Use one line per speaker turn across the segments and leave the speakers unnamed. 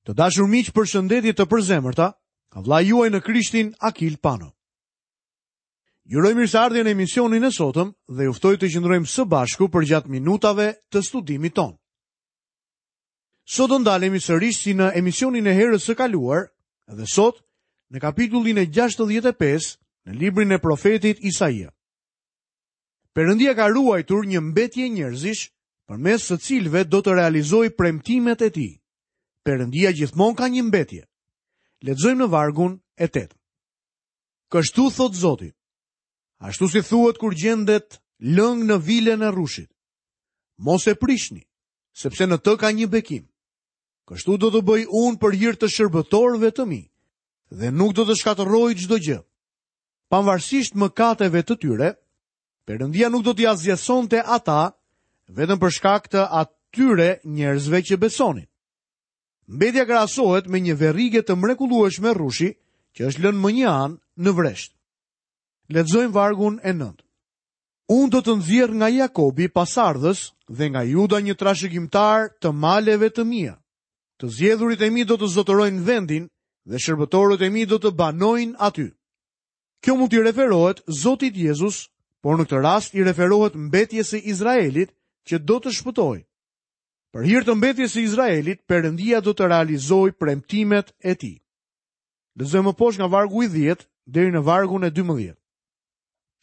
Të dashur miq, përshëndetje të përzemërta, nga vëllai juaj në Krishtin Akil Pano. Ju uroj mirëseardhje në emisionin e sotëm dhe ju ftoj të qëndrojmë së bashku përgjatë minutave të studimit tonë. Sot do ndalemi sërish si në emisionin e herës së kaluar dhe sot në kapitullin e 65 në librin e profetit Isaia. Perëndia ka ruajtur një mbetje njerëzish përmes së cilëve do të realizojë premtimet e tij. Perëndia gjithmonë ka një mbetje. Lexojmë në vargun e 8. Kështu thotë Zoti. Ashtu si thuhet kur gjendet lëng në vilën e rrushit. Mos e prishni, sepse në të ka një bekim. Kështu do të bëj unë për hir të shërbëtorëve të mi dhe nuk do të shkatërroj çdo gjë. Pavarësisht mëkateve të tyre, Perëndia nuk do t'i asgjësonte ata vetëm për shkak të atyre njerëzve që besonin. Mbetja krahasohet me një verrige të mrekullueshme rrushi që është lënë mënjanë në vresht. Lexojmë vargun e 9. Unë do të nxjerr nga Jakobi pasardhës dhe nga Juda një trashëgimtar të maleve të mia. Të zgjedhurit e mi do të zotërojnë vendin dhe shërbëtorët e mi do të banojnë aty. Kjo mund t'i referohet Zotit Jezus, por në këtë rast i referohet mbetjes së Izraelit që do të shpëtojë. Për hir të mbetjes së Izraelit, Perëndia do të realizojë premtimet e tij. Lexojmë më poshtë nga vargu i 10 deri në vargun e 12.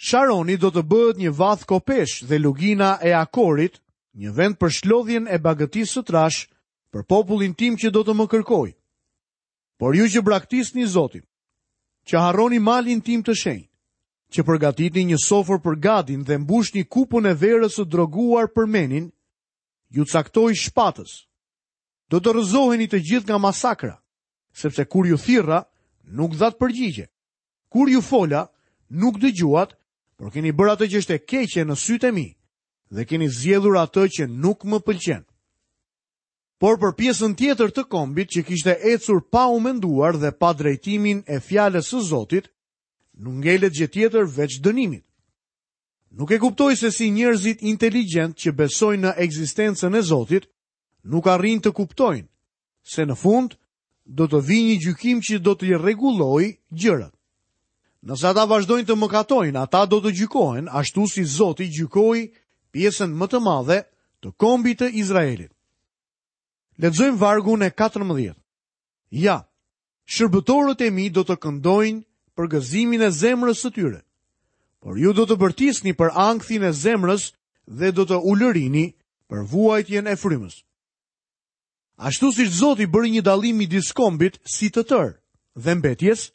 Sharoni do të bëhet një vathë kopesh dhe lugina e Akorit, një vend për shlodhjen e bagëtisë së trashë për popullin tim që do të më kërkojë. Por ju që braktisni Zotin, që harroni malin tim të shenjtë, që përgatitni një sofër për Gadin dhe mbushni kupën e verës së droguar për Menin, ju caktoj shpatës. Do të rrëzoheni të gjithë nga masakra, sepse kur ju thirra, nuk dhatë përgjigje. Kur ju fola, nuk dëgjuat, por keni bërë atë që është e keqe në sytë e mi dhe keni zgjedhur atë që nuk më pëlqen. Por për pjesën tjetër të kombit që kishte ecur pa u menduar dhe pa drejtimin e fjalës së Zotit, nuk ngelet gjë tjetër veç dënimit. Nuk e kuptoj se si njerëzit inteligjentë që besojnë në ekzistencën e Zotit, nuk arrijnë të kuptojnë se në fund do të vijë një gjykim që do t'i rregullojë gjërat. Nëse ata vazhdojnë të mëkatojnë, ata do të gjykohen ashtu si Zoti gjykoi pjesën më të madhe të kombit të Izraelit. Lexojmë vargun e 14. Ja, shërbëtorët e mi do të këndojnë për gëzimin e zemrës së tyre. Por ju do të bërtisni për ankthin e zemrës dhe do të ulërini për vuajtjen e frymës. Ashtu siç Zoti bëri një dallim midis kombit si të tërë dhe mbetjes,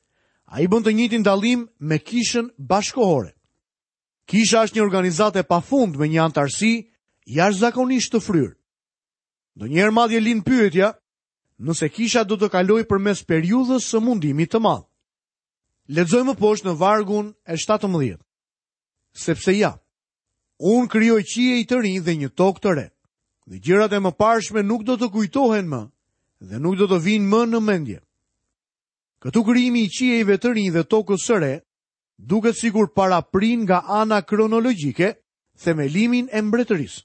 ai bën të njëjtin dallim me kishën bashkëkohore. Kisha është një organizatë e pafund me një anëtarësi jashtëzakonisht të fryrë. Ndonjëherë madje lind pyetja nëse kisha do të kalojë përmes periudhës së mundimit të madh. Lexojmë më poshtë në vargun e 17. Sepse ja, Unë krijoj qiej të rinj dhe një tokë të re. Dhe gjërat e mëparshme nuk do të kujtohen më dhe nuk do të vijnë më në mendje. Këtu krijimi i qiejve të rinj dhe tokës së re duket sikur paraprin nga ana kronologjike themelimin e mbretërisë.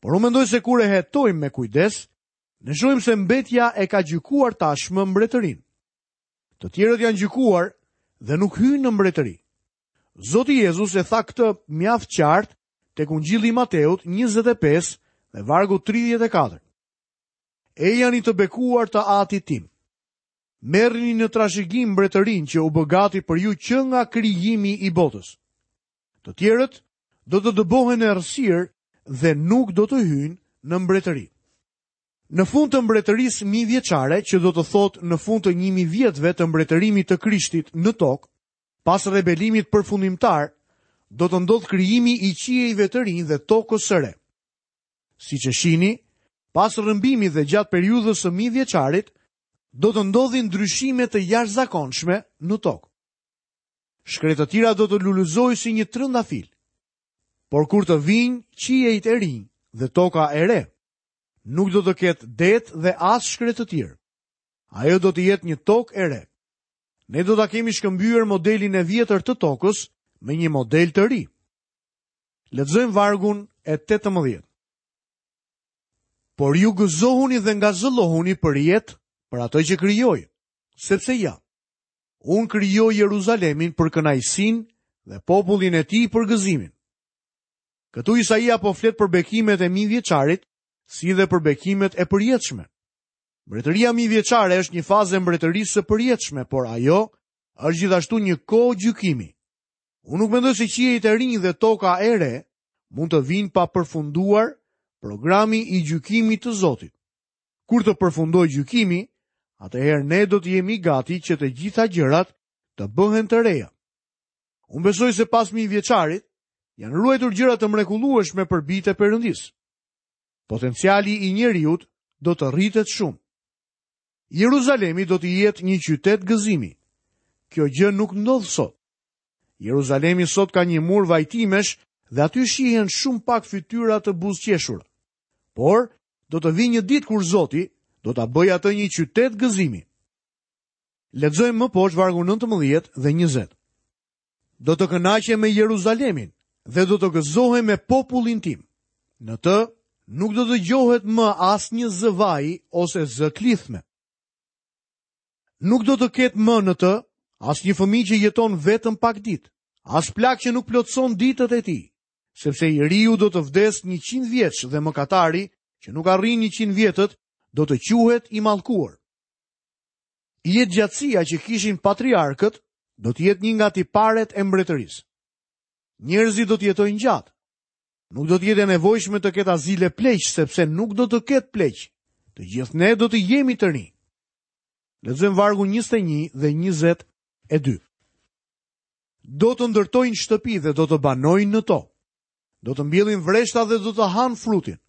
Por unë mendoj se kur e hetojmë me kujdes, ne shohim se mbetja e ka gjykuar tashmë mbretërinë. Të tjerët janë gjykuar dhe nuk hyjnë në mbretëri. Zoti Jezus e tha këtë mjaft qartë tek Ungjilli i Mateut 25 dhe vargu 34. Ejani të bekuar të atit tim. Merrni në trashëgim mbretërinë që u bë gati për ju që nga krijimi i botës. Të tjerët do të dëbohen në errësirë dhe nuk do të hyjnë në mbretëri. Në fund të mbretërisë mijëvjeçare, që do të thotë në fund të 1000 vjetëve të mbretërimit të Krishtit në tokë, Pas rebelimit përfundimtar, do të ndodhë krijimi i qiejve të rinj dhe tokës së re. Siç e shihni, pas rrëmbimit dhe gjatë periudhës së mijëvjeçarit, do të ndodhin ndryshime të jashtëzakonshme në tokë. Shkretëtira do të lulëzojë si një trëndafil. Por kur të vijnë qiejt e rinj dhe toka e re, nuk do të ketë det dhe as shkretëtirë. Ajo do të jetë një tokë e re. Ne do ta kemi shkëmbyer modelin e vjetër të tokës me një model të ri. Lexojmë vargun e 18. Por ju gëzohuni dhe ngazëllohuni për jetë. për atë që krijoi, sepse ja, unë krijoj Jeruzalemin për kënaqësinë dhe popullin e tij për gëzimin. Këtu Isaia po flet për bekimet e mijëvjeçarit, si dhe për bekimet e përjetshme. Mbretëria mijëvjeçare është një fazë e mbretërisë së përjetshme, por ajo është gjithashtu një kohë gjykimi. Unë nuk mendoj se qiejt e rinj dhe toka e re mund të vijnë pa përfunduar programi i gjykimit të Zotit. Kur të përfundojë gjykimi, atëherë ne do të jemi gati që të gjitha gjërat të bëhen të reja. Unë besoj se pas mijëvjeçarit janë ruajtur gjëra të mrekullueshme për bijtë e Perëndisë. Potenciali i njeriut do të rritet shumë. Jeruzalemi do të jetë një qytet gëzimi. Kjo gjë nuk ndodh sot. Jeruzalemi sot ka një mur vajtimesh dhe aty shihen shumë pak fytyra të buzëqeshura. Por, do të vijë një ditë kur Zoti do ta bëjë atë një qytet gëzimi. Lexojmë më poshtë vargun 19 dhe 20. Do të kënaqem me Jeruzalemin dhe do të gëzohem me popullin tim. Në të nuk do të dëgjohet më asnjë zë vaji ose zë klithme. Nuk do të ketë më në të asnjë fëmijë që jeton vetëm pak ditë, as plak që nuk plotëson ditët e tij, sepse i riu do të vdesë 100 vjeç dhe mëkatari që nuk arrin 100 vjetët do të quhet i mallkuar. Jetëgjatësia që kishin patriarkët do të jetë një nga tiparet e mbretërisë. Njerëzit do të jetojnë gjatë. Nuk do të jetë e nevojshme të ketë azile pleqsh sepse nuk do të ketë pleq. Të gjithë ne do të jemi të rinj. Lexojmë vargun 21 dhe 22. Do të ndërtojnë shtëpi dhe do të banojnë në to. Do të mbjellin vreshta dhe do të hanë frutin.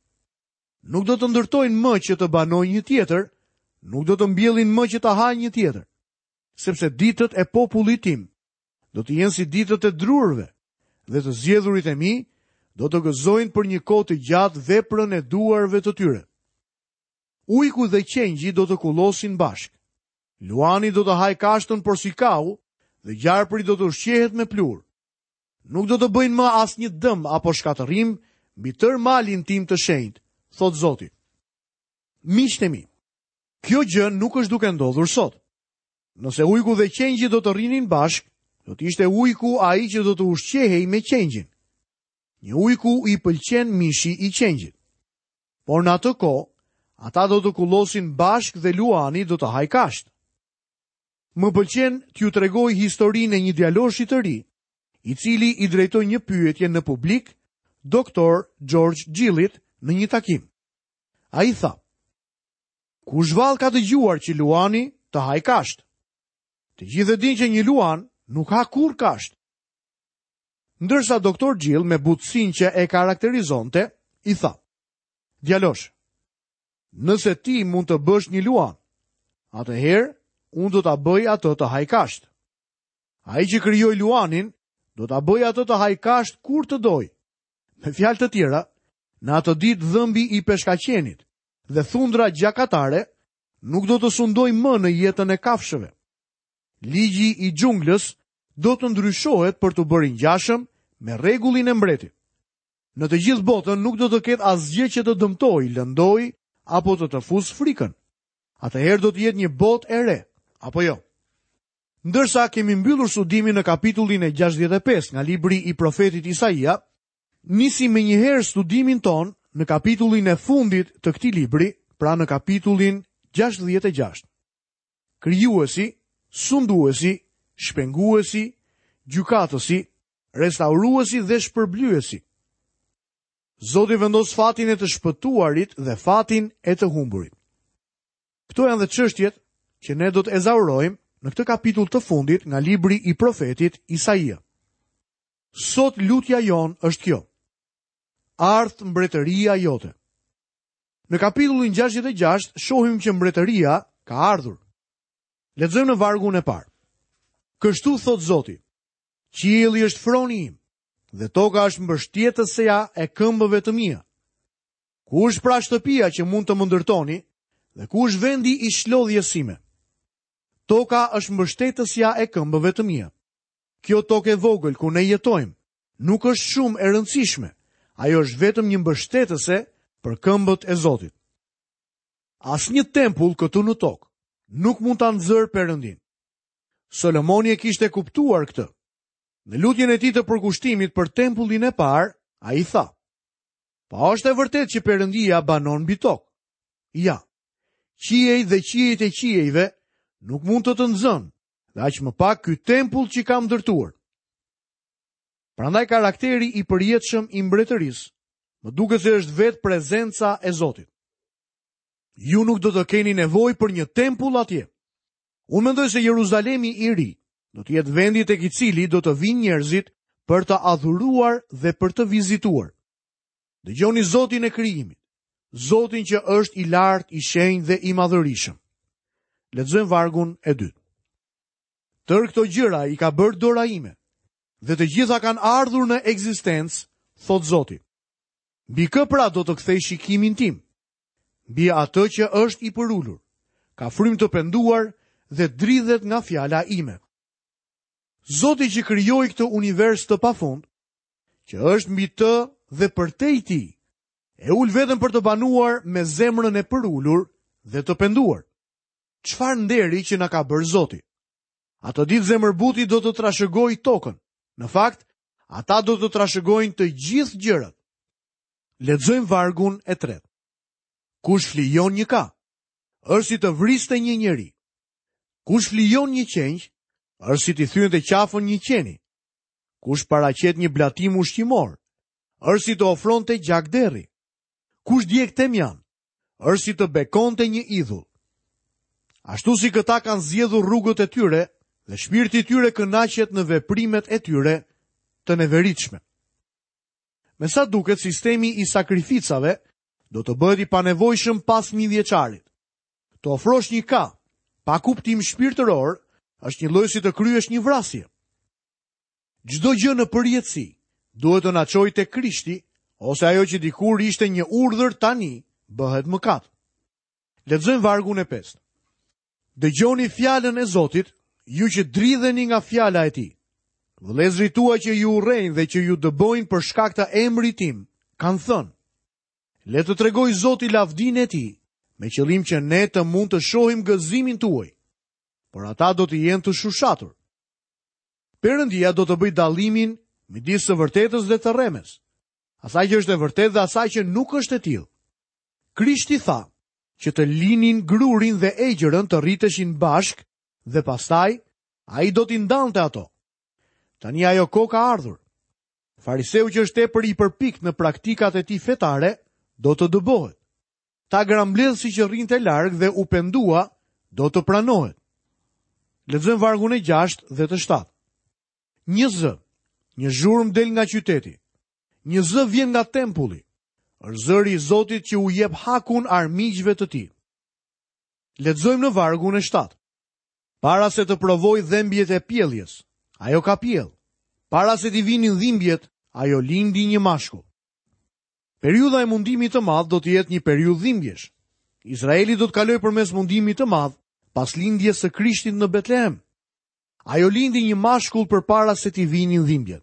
Nuk do të ndërtojnë më që të banojë një tjetër, nuk do të mbjellin më që të hajë një tjetër. Sepse ditët e popullit tim do të jenë si ditët e drurëve dhe të zgjedhurit e mi do të gëzojnë për një kohë të gjatë veprën e duarve të tyre. Ujku dhe qengji do të kullosin bashkë. Luani do të hajë kashtën porsi kau dhe gjarpri do të ushqehet me pluhur. Nuk do të bëjnë më asnjë dëm apo shkatërrim mbi tërë malin tim të shenjtë, thotë Zoti. Miqtë e mi, kjo gjë nuk është duke ndodhur sot. Nëse ujku dhe qengji do të rrinin bashkë, do të ishte ujku ai që do të ushqehej me qengjin. Një ujku i pëlqen mishi i qengjit. Por në atë kohë, ata do të kullosin bashkë dhe luani do të hajë kashtë. Më pëlqen t'ju tregoj historinë e një djaloshi të ri, i cili i drejtoi një pyetje në publik doktor George Gillit në një takim. Ai tha: Kush vallë ka dëgjuar që luani të hajë kashtë? Të gjithë e dinë që një luan nuk ha kurrë kashtë. Ndërsa doktor Gill me butësinë që e karakterizonte, i tha: Djalosh, Nëse ti mund të bësh një luan, atëherë unë do ta bëj atë të hajë kashtë. Ai që krijoi luanin, do ta bëjë atë të hajë kashtë kur të dojë. Me fjalë të tjera, në atë ditë dhëmbi i peshkaqenit dhe thundra gjakatare nuk do të sundojë më në jetën e kafshëve. Ligji i xhunglës do të ndryshohet për t'u bërë i ngjashëm me rregullin e mbretit. Në të gjithë botën nuk do të ketë asgjë që të dëmtojë, lëndojë apo të të fusë frikën. Atëherë do të jetë një botë e re, apo jo? Ndërsa kemi mbyllur studimin në kapitullin e 65 nga libri i profetit Isaia, nisim menjëherë studimin tonë në kapitullin e fundit të këtij libri, pra në kapitullin 66. Krijuesi, sunduesi, shpenguesi, gjykatësi, restauruesi dhe shpërblyesi. Zoti vendos fatin e të shpëtuarit dhe fatin e të humburit. Këto janë dhe çështjet që ne do të ezaurojmë në këtë kapitull të fundit nga libri i profetit Isaia. Sot lutja jonë është kjo. Ardhtë mbretëria jote. Në kapitullin 66 shohim që mbretëria ka ardhur. Lexojmë në vargun e parë. Kështu thotë Zoti, Qielli është froni im dhe toka është mbështetësja e këmbëve të mia. Ku është pra shtëpia që mund të më ndërtoni dhe ku është vendi i shlodhjes sime? Toka është mbështetësja e këmbëve të mia. Kjo tokë e vogël ku ne jetojmë nuk është shumë e rëndësishme. Ajo është vetëm një mbështetëse për këmbët e Zotit. Asnjë tempull këtu në tokë. nuk mund ta nxërë Perëndinë. Solomoni e kishte kuptuar këtë. Në lutjen e tij të përkushtimit për tempullin e parë, ai tha: Po a është e vërtetë që Perëndia banon mbi tokë? Ja. Qiejt dhe qiejt e qiejve nuk mund të të nxënë, dhe aq më pak ky tempull që kam ndërtuar. Prandaj karakteri i përjetshëm i mbretërisë më duket se është vetë prezenca e Zotit. Ju nuk do të keni nevojë për një tempull atje. Unë mendoj se Jeruzalemi i ri do të jetë vendi tek i cili do të vijnë njerëzit për të adhuruar dhe për të vizituar. Dëgjoni Zotin e krijimit, Zotin që është i lartë, i shenjtë dhe i madhërishëm. Lexojmë vargun e dytë. Tërë këto gjëra i ka bërë dora ime dhe të gjitha kanë ardhur në ekzistencë, thotë Zoti. Mbi kë pra do të kthej shikimin tim? Mbi atë që është i përulur, ka frymë të penduar dhe dridhet nga fjala ime. Zoti që krijoi këtë univers të pafund, që është mbi të dhe përtej tij, e ul veten për të banuar me zemrën e përulur dhe të penduar. Çfarë nderi që na ka bërë Zoti? Atë ditë zemërbuti do të trashëgojë tokën. Në fakt, ata do të trashëgojnë të gjithë gjërat. Lexojmë vargun e tretë. Kush flijon një ka, është si të vriste një njeri. Kush flijon një qengj, është si t'i thyente qafën një qeni. Kush paraqet një blatim ushqimor, është si të ofronte gjak derri. Kush djeg temjan, është si të bekonte një idhull. Ashtu si këta kanë zgjedhur rrugët e tyre dhe shpirti i tyre kënaqet në veprimet e tyre të neveritshme. Me sa duket sistemi i sakrificave do të bëhet i panevojshëm pas mijëvjeçarit. Të ofrosh një ka, pa kuptim shpirtëror, është njëlloj si të kryesh një vrasje. Çdo gjë në përjetësi duhet të na çojë te Krishti, ose ajo që dikur ishte një urdhër tani bëhet mëkat. Lexojmë vargun e pestë. Dëgjoni fjalën e Zotit, ju që dridheni nga fjala e tij. Vëllezërit tuaj që ju urrejnë dhe që ju dëbojnë për shkak të emrit tim, kanë thënë: Le të tregojë Zoti lavdinë e tij, me qëllim që ne të mund të shohim gëzimin tuaj. Por ata do të jenë të shushatur. Perëndia do të bëjë dallimin midis së vërtetës dhe të rremes, asaj që është e vërtetë dhe asaj që nuk është e tillë. Krishti tha, që të linin grurin dhe egjërën të rriteshin bashkë dhe pastaj ai do t'i ndante ato. Tani ajo kohë ka ardhur. Fariseu që është tepër i përpiktë në praktikat e tij fetare do të dëbohet. Tagrambledhësi që rrinte larg dhe u pendua do të pranohet. Lexojmë vargun e 6 dhe të 7. Një zë, një zhurmë del nga qyteti. Një zë vjen nga tempulli. Është zëri i Zotit që u jep hakun armiqve të tij. Lexojmë në vargun e 7. Para se të provojë dhembjet e pjelljes, ajo ka pjellë. Para se t'i vinin dhimbjet, ajo lindi një mashkull. Periudha e mundimit të madh do të jetë një periudhë dhimbjesh. Izraeli do të kalojë përmes mundimit të madh pas lindjes së Krishtit në Betlehem. Ajo lindi një mashkull përpara se t'i vinin dhimbjet.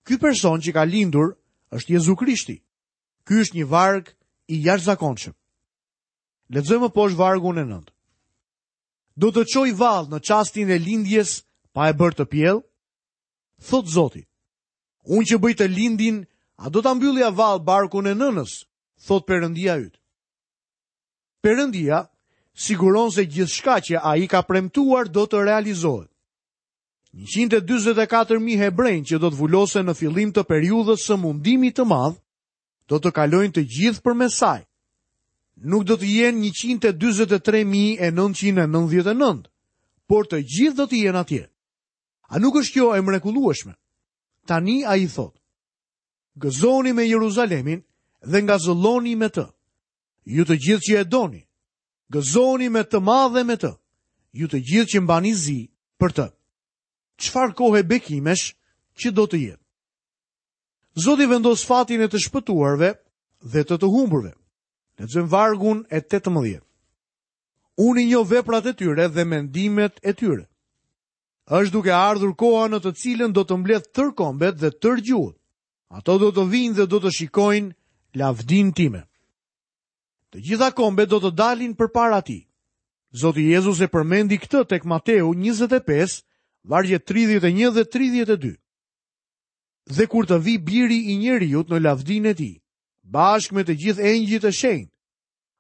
Ky person që ka lindur është Jezu Krishti. Ky është një varg i jashtëzakonshëm. Lexojmë më poshtë vargun e 9. Do të çoj vallë në çastin e lindjes pa e bërë të pjellë? Thotë Zoti. Unë që bëj të lindin, a do ta mbyllja vallë barkun e nënës? Thotë Perëndia yt. Perëndia siguron se gjithçka që ai ka premtuar do të realizohet. 144.000 hebrenj që do të vulosen në fillim të periudhës së mundimit të madh, do të kalojnë të gjithë përmes saj. Nuk do të jenë 143.999, por të gjithë do të jenë atje. A nuk është kjo e mrekullueshme? Tani ai thotë, gëzohuni me Jeruzalemin dhe ngazëlloni me të. Ju të gjithë që e doni, Gëzohuni me të madhe me të, ju të gjithë që mbani zi për të. Çfarë kohe bekimesh që do të jetë? Zoti vendos fatin e të shpëtuarve dhe të të humburve. Lexojmë vargun e 18. Unë i njoh veprat e tyre dhe mendimet e tyre. Është duke ardhur koha në të cilën do të mbledh tërë kombet dhe tërë gjuhët. Ato do të vijnë dhe do të shikojnë lavdinë time. Të gjitha kombet do të dalin përpara tij. Zoti Jezus e përmendi këtë tek Mateu 25, vargjet 31 dhe 32. Dhe kur të vijë biri i njeriut në lavdinë e tij, bashkë me të gjithë engjëjt e shenjtë,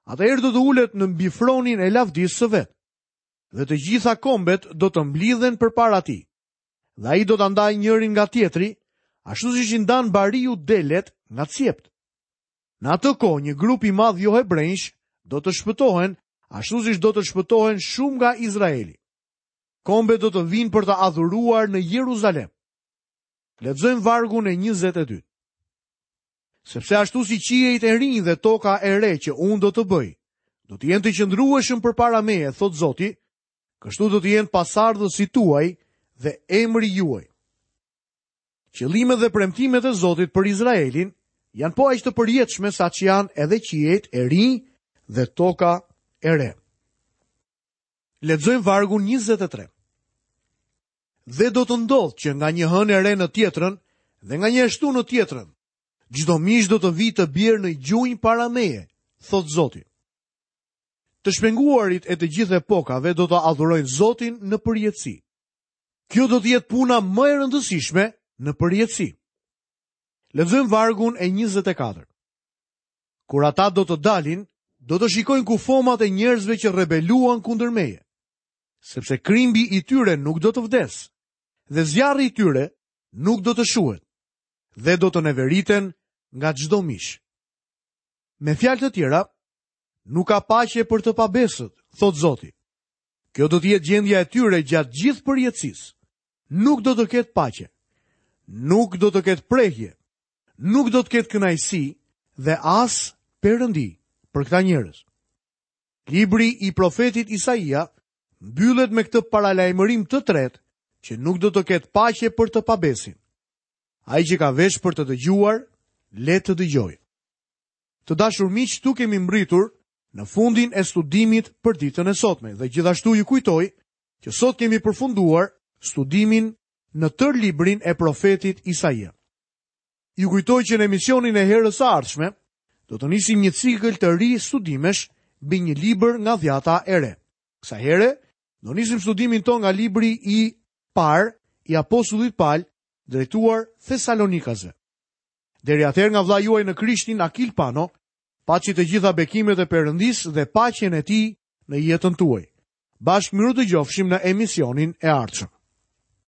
atëherë do të ulet në mbi fronin e lavdisë së vet. Dhe të gjitha kombet do të mblidhen përpara tij. Dhe ai do ta ndajë njërin nga tjetri, ashtu siç i ndan bariu delet nga cjeptë. Në atë kohë një grup i madh johebrenjsh do të shpëtohen, ashtu siç do të shpëtohen shumë nga Izraeli. Kombet do të vijnë për të adhuruar në Jeruzalem. Lexojmë vargun e 22. Sepse ashtu si qiejt e rinj dhe toka e re që unë do të bëj, do të jenë të qëndrueshëm përpara meje, thotë Zoti, kështu do të jenë pasardhësit tuaj dhe emri juaj. Qëllimet dhe premtimet e Zotit për Izraelin janë po aq të përjetshme sa ç'janë edhe qiejt e rinj dhe toka e re. Lexojmë vargun 23. Dhe do të ndodhë që nga një hënë e re në tjetrën dhe nga një e shtunë në tjetrën, çdo mish do të vijë të bjerë në gjunjë para meje, thotë Zoti. Të shpenguarit e të gjithë epokave do të adhurojnë Zotin në përjetësi. Kjo do të jetë puna më e rëndësishme në përjetësi. Lexojmë vargun e 24. Kur ata do të dalin, do të shikojnë kufomat e njerëzve që rebeluan kundër meje. Sepse krimbi i tyre nuk do të vdesë dhe zjarri i tyre nuk do të shuhet dhe do të neveriten nga çdo mish. Me fjalë të tjera, nuk ka paqe për të pabesët, thotë Zoti. Kjo do të jetë gjendja e tyre gjatë gjithë përjetësisë. Nuk do të ketë paqe. Nuk do të ketë prehje. Nuk do të ketë kënaqësi dhe as perëndi për këta njerëz. Libri i profetit Isaia mbyllet me këtë paralajmërim të tretë që nuk do të ketë paqe për të pabesin. Ai që ka vesh për të dëgjuar, le të dëgjojë. Të dashur miq, këtu kemi mbërritur në fundin e studimit për ditën e sotme dhe gjithashtu ju kujtoj që sot kemi përfunduar studimin në tërë librin e profetit Isaia. Ju kujtoj që në emisionin e herës së ardhshme do të nisim një cikël të ri studimesh mbi një libër nga dhjata e re. Kësaj here do nisim studimin tonë nga libri i parë i apostullit Pal drejtuar Thesalonikasve. Deri atëherë nga vëllai juaj në Krishtin Akil Pano, paçi të gjitha bekimet e Perëndisë dhe paqen e tij në jetën tuaj. Bashkë mirudëgjofshim në emisionin e ardhshëm.